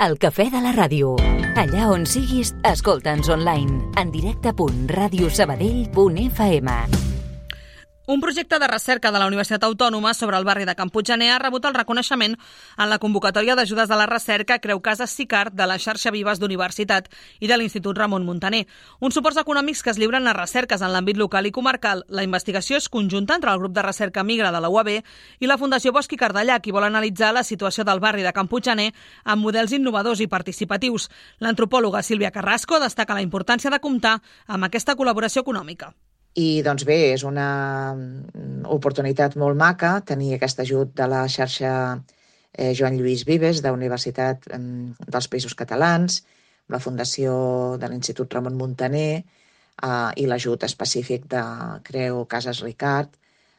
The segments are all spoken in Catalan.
El cafè de la ràdio. Allà on siguis, escolta'ns online. En directe.radiosabadell.fm. Un projecte de recerca de la Universitat Autònoma sobre el barri de Can Puiggener ha rebut el reconeixement en la convocatòria d'ajudes de la recerca Creu Casas Sicart de la xarxa Vives d'Universitat i de l'Institut Ramon Muntaner. Uns suports econòmics que es lliuren a recerques en l'àmbit local i comarcal. La investigació és conjunta entre el grup de recerca Migra de la UAB i la Fundació Bosch i Cardellac, i vol analitzar la situació del barri de Can Puiggener amb models innovadors i participatius. L'antropòloga Sílvia Carrasco destaca la importància de comptar amb aquesta col·laboració econòmica. I doncs bé, és una oportunitat molt maca tenir aquest ajut de la xarxa Joan Lluís Vives de la Universitat dels Països Catalans, la Fundació de l'Institut Ramon Muntaner i l'ajut específic de Creu Casas Sicart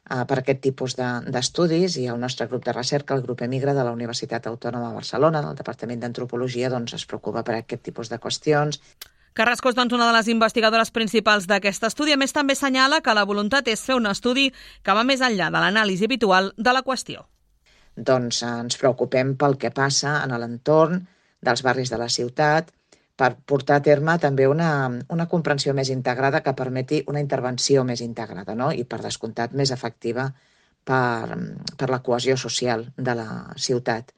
per aquest tipus d'estudis, i el nostre grup de recerca, el grup Emigra de la Universitat Autònoma de Barcelona, del Departament d'Antropologia, doncs es preocupa per aquest tipus de qüestions. Carrasco és una de les investigadores principals d'aquest estudi. A més, també assenyala que la voluntat és fer un estudi que va més enllà de l'anàlisi habitual de la qüestió. Doncs ens preocupem pel que passa en l'entorn dels barris de la ciutat per portar a terme també una comprensió més integrada que permeti una intervenció més integrada, no? I per descomptat més efectiva per la cohesió social de la ciutat.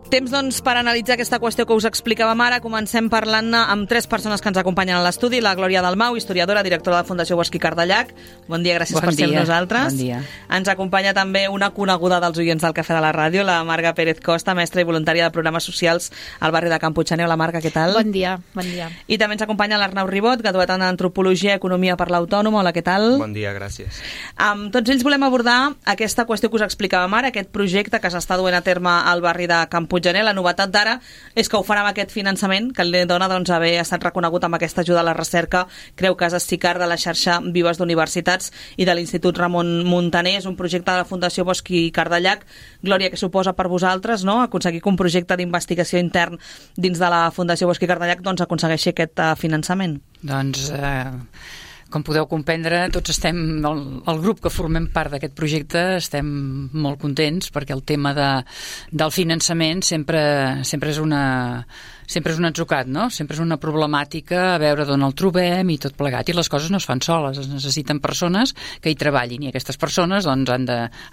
Temps, doncs, per analitzar aquesta qüestió que us explicàvem ara. Comencem parlant amb tres persones que ens acompanyen a l'estudi. La Glòria Dalmau, historiadora, directora de la Fundació Bosch i Cardellac. Bon dia, gràcies per ser amb nosaltres. Bon dia. Ens acompanya també una coneguda dels oients del Cafè de la Ràdio, la Marga Pérez Costa, mestra i voluntària de programes socials al barri de Can Puiggener. Hola, Marga, què tal? Bon dia, bon dia. I també ens acompanya l'Arnau Ribot, graduat en Antropologia i Economia per l'Autònoma. Hola, què tal? Bon dia, gràcies. Tots ells volem abordar aquesta qüestió que us explicàvem ara, aquest projecte que s'està duent a terme al barri de Can Puiggener. La novetat d'ara és que ho farà amb aquest finançament que li dona haver estat reconegut amb aquesta ajuda a la recerca Creu Casas Sicart de la xarxa Vives d'Universitats i de l'Institut Ramon Muntaner. És un projecte de la Fundació Bosch i Cardellac. Glòria, què suposa per vosaltres, no?, aconseguir que un projecte d'investigació intern dins de la Fundació Bosch i Cardellac doncs aconsegueixi aquest finançament? Doncs, com podeu comprendre, tots estem, el grup que formem part d'aquest projecte, estem molt contents perquè el tema del finançament sempre és un atzucat, no? Sempre és una problemàtica a veure d'on el trobem i tot plegat. I les coses no es fan soles, es necessiten persones que hi treballin, i aquestes persones doncs, han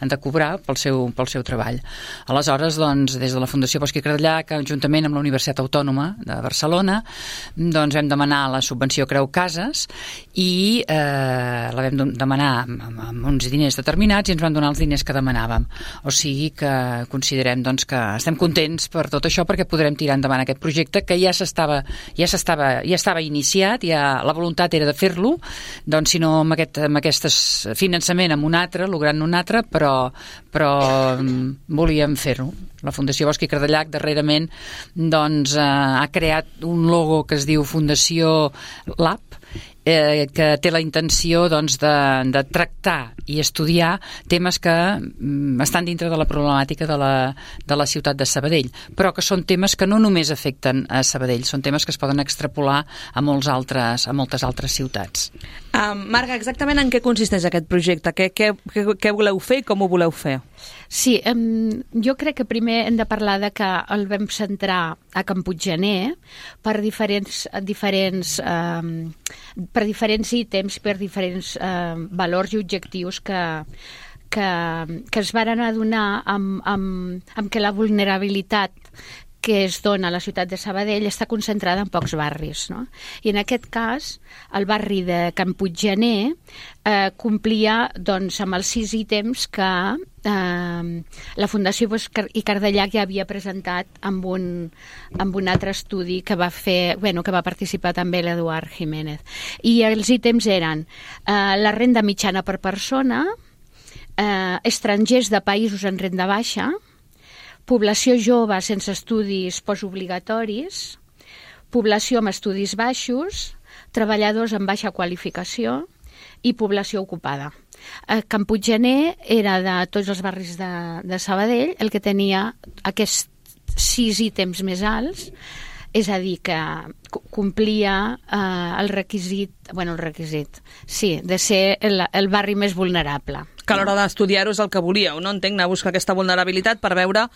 de cobrar pel seu treball. Aleshores, doncs, des de la Fundació Bosch i Cardellac, juntament amb la Universitat Autònoma de Barcelona, doncs vam demanar la subvenció Creu Casas i la vam demanar amb uns diners determinats i ens van donar els diners que demanàvem. O sigui que considerem doncs, que estem contents per tot això perquè podrem tirar endavant aquest projecte que ja estava iniciat, la voluntat era de fer-lo, doncs si no amb aquest finançament amb un altre, logrant un altre, però volíem fer-ho. La Fundació Bosch i Cardellac darrerament doncs, ha creat un logo que es diu Fundació Lab, que té la intenció doncs, de tractar i estudiar temes que estan dintre de la problemàtica de la ciutat de Sabadell, però que són temes que no només afecten a Sabadell, són temes que es poden extrapolar a moltes altres ciutats. Marga, exactament en què consisteix aquest projecte? Què voleu fer i com ho voleu fer? Sí, jo crec que primer hem de parlar de que el vam centrar a Can Puiggener per diferents ítems, per diferents valors i objectius que es varen adonar amb que la vulnerabilitat que es dona a la ciutat de Sabadell està concentrada en pocs barris, no? I en aquest cas, el barri de Can Puiggener complia doncs, amb els 6 ítems que la Fundació Bosch i Cardellac ja havia presentat amb un altre estudi que va participar també l'Eduard Jiménez. I els ítems eren la renda mitjana per persona, estrangers de països en renda baixa, població jove sense estudis postobligatoris, població amb estudis baixos, treballadors amb baixa qualificació i població ocupada. Can Puiggener era de tots els barris de Sabadell el que tenia aquests 6 ítems més alts, és a dir, que complia el requisit de ser el barri més vulnerable. Que a l'hora d'estudiar-ho és el que volíeu, no? Entenc, anar a buscar aquesta vulnerabilitat per veure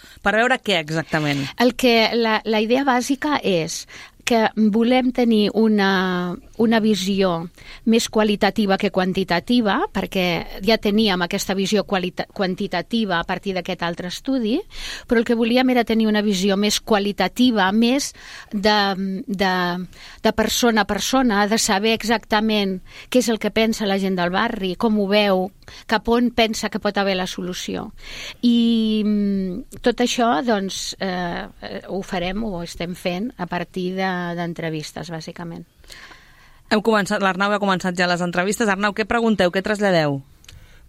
què exactament. La idea bàsica és que volem tenir una visió més qualitativa que quantitativa, perquè ja teníem aquesta visió quantitativa a partir d'aquest altre estudi, però el que volíem era tenir una visió més qualitativa, més de persona a persona, de saber exactament què és el que pensa la gent del barri, com ho veu, cap on pensa que pot haver la solució. I tot això, doncs, ho farem, ho estem fent a partir d'entrevistes, bàsicament. L'Arnau ha començat ja les entrevistes. Arnau, què pregunteu, què traslladeu?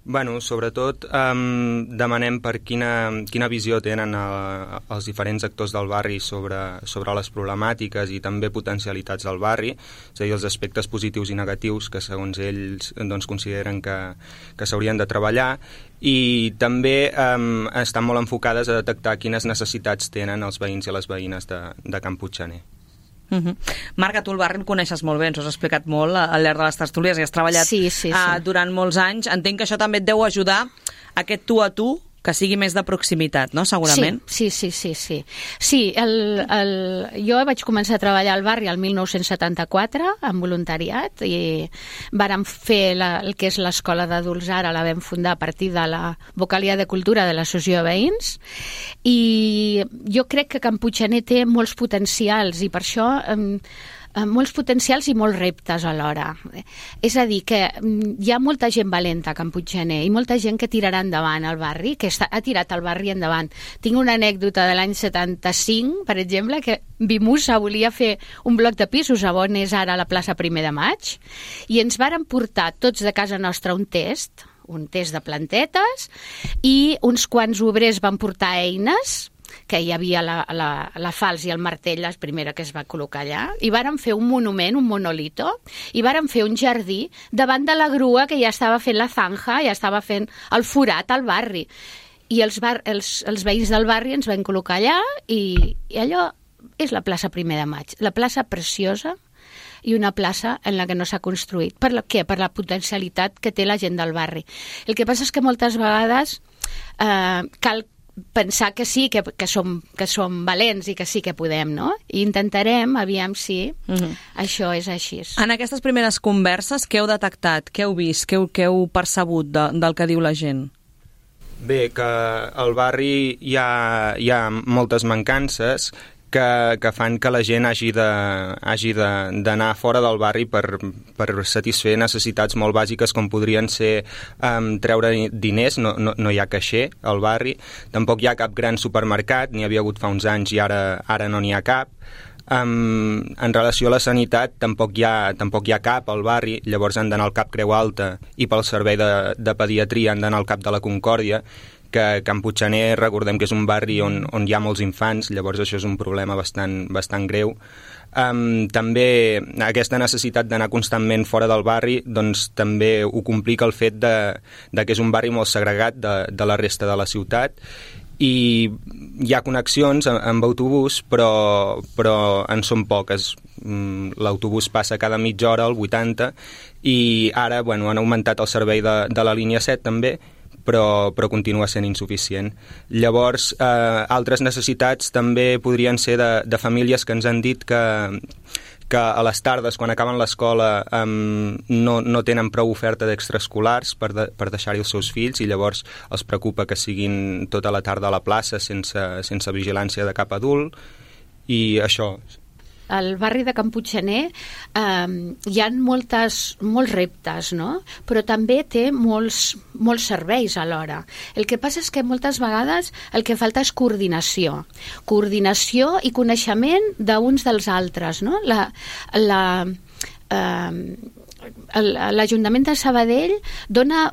Bueno, sobretot demanem per quina visió tenen els diferents actors del barri sobre les problemàtiques i també potencialitats del barri, és a dir, els aspectes positius i negatius que segons ells doncs, consideren que s'haurien de treballar, i també estan molt enfocades a detectar quines necessitats tenen els veïns i les veïnes de Can Puiggener. Marga, tu el barri el coneixes molt bé, ens ho has explicat molt al llarg de les tertúlies i has treballat durant molts anys. Entenc que això també et deu ajudar aquest tu a tu que sigui més de proximitat, no? Segurament. Sí. Sí, jo vaig començar a treballar al barri el 1974 en voluntariat i vàrem fer el que és l'escola d'adults ara, la vam fundar a partir de la vocalia de cultura de l'Associació de Veïns, i jo crec que Can Puiggener té molts potencials i per això molts potencials i molts reptes alhora. És a dir, que hi ha molta gent valenta a Can Puiggener i molta gent que tirarà endavant el barri, que ha tirat el barri endavant. Tinc una anècdota de l'any 75, per exemple, que Vimusa volia fer un bloc de pisos a on és ara la plaça 1 de Maig, i ens varen portar tots de casa nostra un test de plantetes, i uns quants obrers van portar eines, que hi havia la falç i el martell, la primera que es va col·locar allà, i vàrem fer un monument, un monolito, i vàrem fer un jardí davant de la grua que ja estava fent la zanja, ja estava fent el forat al barri. I els veïns del barri ens van col·locar allà, i allò és la plaça 1 de Maig, la plaça preciosa, i una plaça en la que no s'ha construït. Per què? Per la potencialitat que té la gent del barri. El que passa és que moltes vegades cal pensar que sí, que som valents i que sí que podem, no? I intentarem, aviam si això és així. En aquestes primeres converses, què heu detectat? Què heu vist? Què heu percebut del que diu la gent? Bé, que al barri hi ha moltes mancances que fan que la gent hagi d'anar fora del barri per satisfer necessitats molt bàsiques com podrien ser treure diners, no hi ha caixer al barri, tampoc hi ha cap gran supermercat, n'hi havia hagut fa uns anys i ara no n'hi ha cap. En relació a la sanitat tampoc hi ha cap al barri, llavors han d'anar al Cap Creu Alta, i pel servei de pediatria han d'anar al Cap de la Concòrdia, que Can Puiggener recordem que és un barri on hi ha molts infants, llavors això és un problema bastant greu. També aquesta necessitat d'anar constantment fora del barri doncs també ho complica el fet de que és un barri molt segregat de la resta de la ciutat, i hi ha connexions amb autobús però en són poques. L'autobús passa cada mitja hora, al 80, i ara han augmentat el servei de la línia 7 també, però continua sent insuficient. Llavors, altres necessitats també podrien ser de famílies que ens han dit que a les tardes, quan acaben l'escola, no tenen prou oferta d'extraescolars per deixar-hi els seus fills, i llavors els preocupa que siguin tota la tarda a la plaça sense vigilància de cap adult, i això. Al barri de Can Puiggener hi ha molts reptes, no? Però també té molts serveis alhora. El que passa és que moltes vegades el que falta és coordinació i coneixement d'uns dels altres, no? L'Ajuntament de Sabadell dona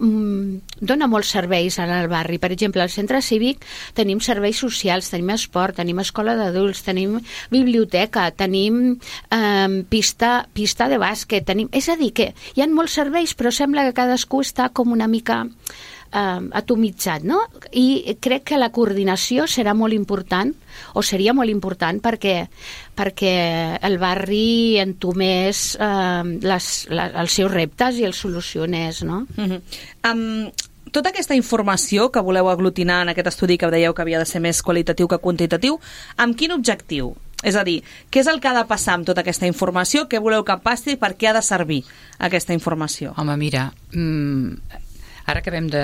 molts serveis al barri. Per exemple, al centre cívic tenim serveis socials, tenim esport, tenim escola d'adults, tenim biblioteca, tenim pista de bàsquet, és a dir, que hi ha molts serveis, però sembla que cadascú està com una mica atomitzat, no? I crec que la coordinació serà molt important, o seria molt important, perquè el barri entomés els seus reptes i els solucionés, no? Tota aquesta informació que voleu aglutinar en aquest estudi que dèieu que havia de ser més qualitatiu que quantitatiu, amb quin objectiu? És a dir, què és el que ha de passar amb tota aquesta informació? Què voleu que passi? Per què ha de servir aquesta informació? Home, mira, ara acabem de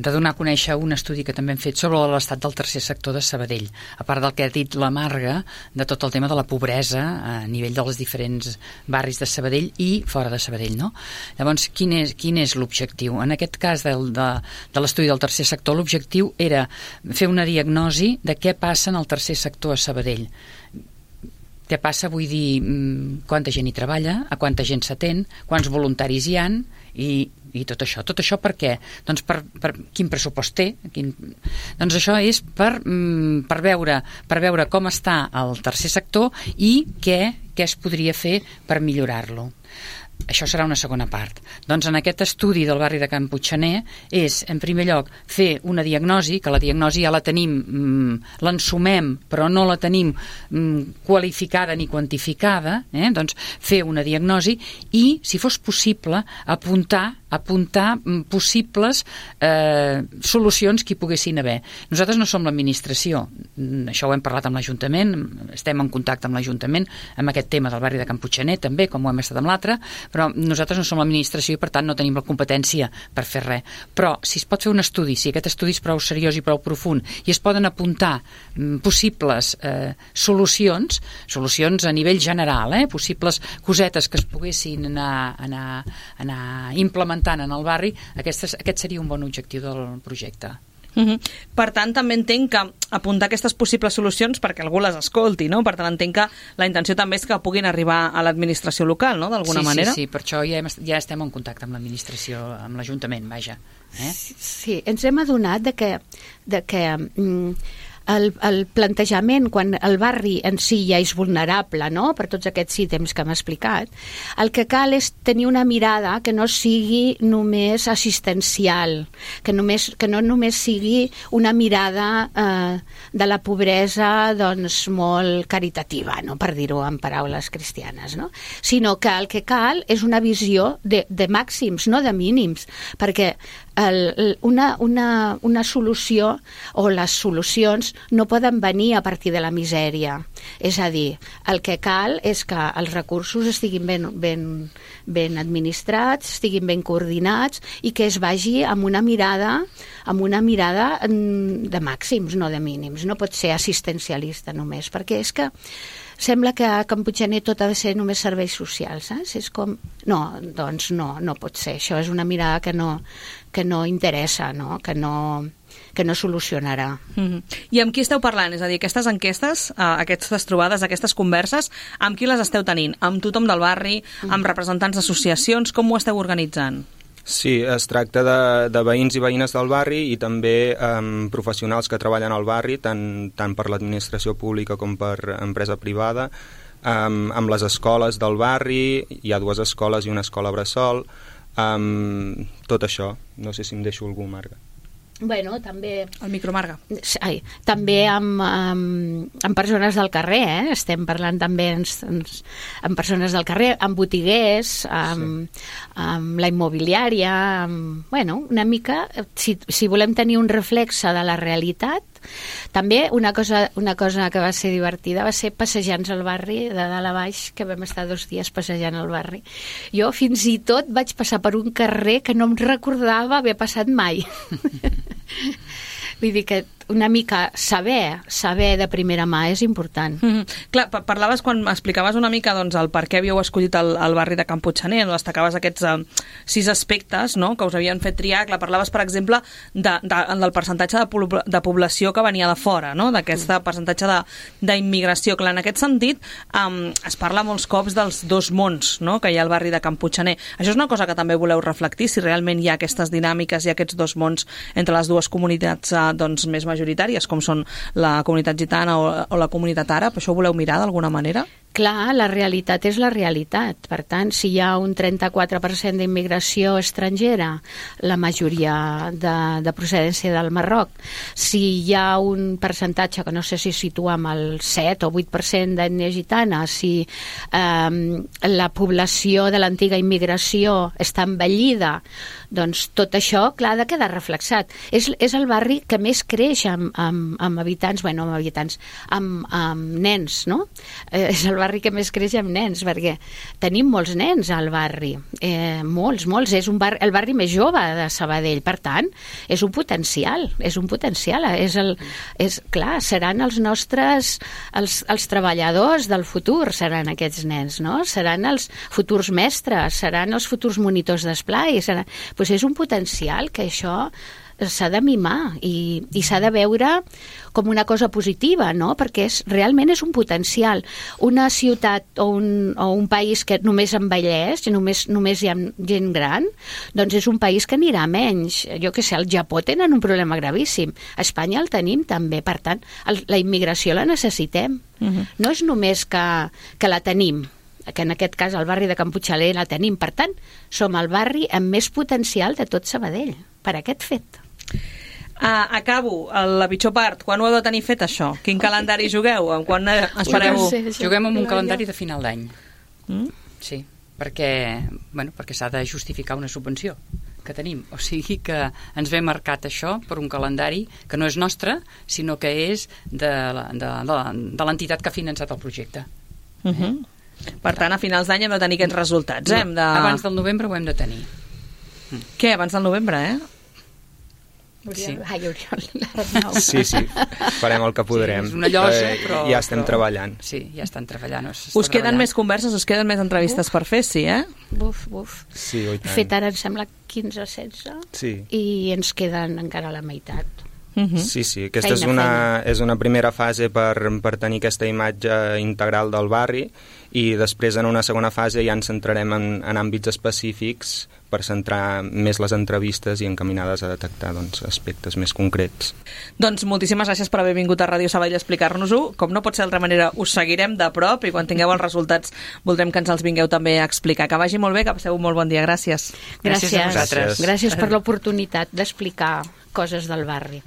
donar a conèixer un estudi que també hem fet sobre l'estat del tercer sector de Sabadell, a part del que ha dit la Marga, de tot el tema de la pobresa a nivell dels diferents barris de Sabadell i fora de Sabadell, no? Llavors, quin és l'objectiu? En aquest cas de l'estudi del tercer sector, l'objectiu era fer una diagnosi de què passa en el tercer sector a Sabadell. Què passa, vull dir, quanta gent hi treballa, a quanta gent s'atén, quants voluntaris hi han i tot això. Tot això per què? Doncs per quin pressupost té. Doncs això és per veure com està el tercer sector i què es podria fer per millorar-lo. Això serà una segona part. Doncs en aquest estudi del barri de Can Puigxaner és, en primer lloc, fer una diagnosi, que la diagnosi ja la tenim, l'ensumem, però no la tenim qualificada ni quantificada, doncs fer una diagnosi i, si fos possible, apuntar possibles solucions que hi poguessin haver. Nosaltres no som l'administració, això ho hem parlat amb l'Ajuntament, estem en contacte amb l'Ajuntament amb aquest tema del barri de Can Puigxaner també, com ho hem estat amb l'altre, però nosaltres no som l'administració i per tant no tenim la competència per fer res. Però si es pot fer un estudi, si aquest estudi és prou seriós i prou profund i es poden apuntar possibles solucions a nivell general, possibles cosetes que es poguessin anar implementant en el barri, aquest seria un bon objectiu del projecte. Per tant, també entenc que apuntar aquestes possibles solucions perquè algú les escolti, no? Per tant, entenc que la intenció també és que puguin arribar a l'administració local, no? D'alguna manera. Sí, per això ja estem en contacte amb l'administració, amb l'Ajuntament, vaja. Sí, ens hem adonat de que el plantejament, quan el barri en si ja és vulnerable, no?, per tots aquests ítems que hem explicat, el que cal és tenir una mirada que no sigui només assistencial, que no només sigui una mirada de la pobresa doncs molt caritativa, no?, per dir-ho en paraules cristianes, no?, sinó que el que cal és una visió de màxims, no de mínims, perquè una solució o les solucions no poden venir a partir de la misèria. És a dir, el que cal és que els recursos estiguin ben administrats, estiguin ben coordinats i que es vagi amb una mirada de màxims, no de mínims. No pot ser assistencialista només, perquè és que sembla que a Can Puigxaner tot ha de ser només serveis socials, saps? És com... No, doncs no pot ser. Això és una mirada que no interessa, no? Que no solucionarà. I amb qui esteu parlant? És a dir, aquestes enquestes, aquestes trobades, aquestes converses, amb qui les esteu tenint? Amb tothom del barri, amb representants d'associacions? Com ho esteu organitzant? Sí, es tracta de veïns i veïnes del barri i també professionals que treballen al barri, tant per l'administració pública com per empresa privada, amb les escoles del barri, hi ha 2 escoles i una escola bressol, tot això. No sé si em deixo algú, Marga. Bueno, també... El micro, Marga. També amb persones del carrer, estem parlant també amb persones del carrer, amb botiguers, amb la immobiliària, una mica, si volem tenir un reflexe de la realitat. També una cosa que va ser divertida va ser passejants al barri, de dalt a baix, que vam estar 2 dies passejant al barri. Jo fins i tot vaig passar per un carrer que no em recordava haver passat mai. Vull dir que una mica saber de primera mà és important. Clar, parlaves, quan explicaves una mica doncs, el per què havíeu escollit el barri de Can Puigxaner, destacaves aquests 6 aspectes, no?, que us havien fet triar. Clar, parlaves, per exemple, del percentatge de població que venia de fora, no?, d'aquest percentatge d'immigració. Clar, en aquest sentit, es parla molts cops dels 2 mons, no?, que hi ha al barri de Can Puigxaner. Això és una cosa que també voleu reflectir, si realment hi ha aquestes dinàmiques i aquests 2 mons entre les 2 comunitats doncs, més majoritàries, com són la comunitat gitana o la comunitat àrab. Això ho voleu mirar d'alguna manera? Clar, la realitat és la realitat. Per tant, si hi ha un 34% d'immigració estrangera, la majoria de procedència del Marroc, si hi ha un percentatge que no sé si situem el 7 o 8% d'ètnia gitana, si la població de l'antiga immigració està envellida, doncs tot això, clar, ha de quedar reflexat. És el barri que més creix amb habitants, amb nens, no? És el barri que més creix amb nens, perquè tenim molts nens al barri, molts, és el barri més jove de Sabadell, per tant, és un potencial, clar, seran els nostres, els treballadors del futur, seran aquests nens, no? Seran els futurs mestres, seran els futurs monitors d'esplai, doncs és un potencial que això s'ha de mimar i s'ha de veure com una cosa positiva, no? Perquè realment és un potencial. Una ciutat o un país que només envelleix, només hi ha gent gran, doncs és un país que anirà a menys. Jo què sé, al Japó tenen un problema gravíssim. A Espanya el tenim també, per tant, la immigració la necessitem. No és només que la tenim, que en aquest cas al barri de Can Puigxaler la tenim. Per tant, som el barri amb més potencial de tot Sabadell, per aquest fet. Acabo, la pitjor part. Quan ho heu de tenir fet, això? Quin calendari jugueu? Quan espereu? Juguem amb un calendari de final d'any. Sí, perquè s'ha de justificar una subvenció que tenim. O sigui que ens ve marcat això per un calendari que no és nostre, sinó que és de l'entitat que ha finançat el projecte. Per tant, a finals d'any hem de tenir aquests resultats. Abans del novembre ho hem de tenir. Què? Abans del novembre, Sí. Sí, farem el que podrem. És una llosa, però... Ja estem treballant. Sí, ja estan treballant. Us queden més converses, us queden més entrevistes per fer, sí, Buf. Sí, oi tant. Fet ara, em sembla, 15 o 16, sí. I ens queden encara la meitat. Sí, aquesta és una primera fase per tenir aquesta imatge integral del barri, i després en una segona fase ja ens centrarem en àmbits específics per centrar més les entrevistes i encaminades a detectar aspectes més concrets. Doncs moltíssimes gràcies per haver vingut a Ràdio Sabadell a explicar-nos-ho. Com no pot ser d'altra manera, us seguirem de prop i quan tingueu els resultats voldrem que ens els vingueu també a explicar. Que vagi molt bé, que passeu un molt bon dia. Gràcies. Gràcies a vosaltres. Gràcies per l'oportunitat d'explicar coses del barri.